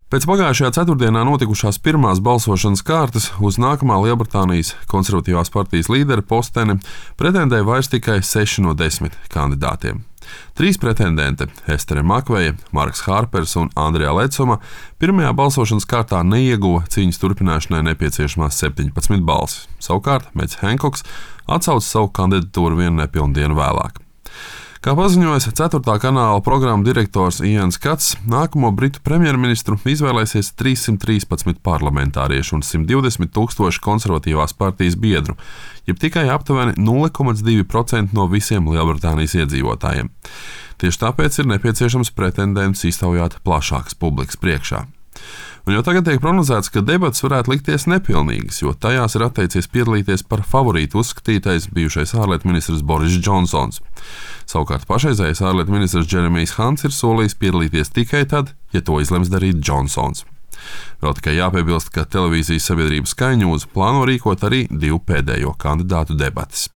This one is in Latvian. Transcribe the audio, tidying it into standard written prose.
Pēc pagājušajā ceturtdienā notikušās pirmās balsošanas kārtas uz nākamā Lielbritānijas konservatīvās partijas līdera posteni pretendēja vairs tikai 6 no 10 kandidātiem. 3 pretendenti - Estere Makveja, Marks Hārpers un Andrijā Lecoma - pirmajā balsošanas kārtā neieguva cīņas turpināšanai nepieciešamās 17 balsis. Savukārt Mets Henkoks atsauca savu kandidatūru vienu nepilnu dienu vēlāk. Kā paziņoja 4. kanāla programmu direktors Ians Kats, nākamo britu premjerministru izvēlēsies 313 parlamentārieši un 120 000 konservatīvās partijas biedru, jeb tikai aptuveni 0,2% no visiem Lielbritānijas iedzīvotājiem. Tieši tāpēc ir nepieciešams pretendentus iztaujāt plašākas publikas priekšā. Un jau tagad tiek prognozēts, ka debates varētu likties nepilnīgas, jo tajās ir atteicies piedalīties par favorītu uzskatītais bijušais ārlietu ministrs Boris Džonsons. Savukārt pašreizējais ārlietu ministrs Džeremijs Hants ir solījis piedalīties tikai tad, ja to izlems darīt Džonsons. Vēl tikai jāpiebilst, ka televīzijas sabiedrības Sky News plāno rīkot arī 2 pēdējo kandidātu debates.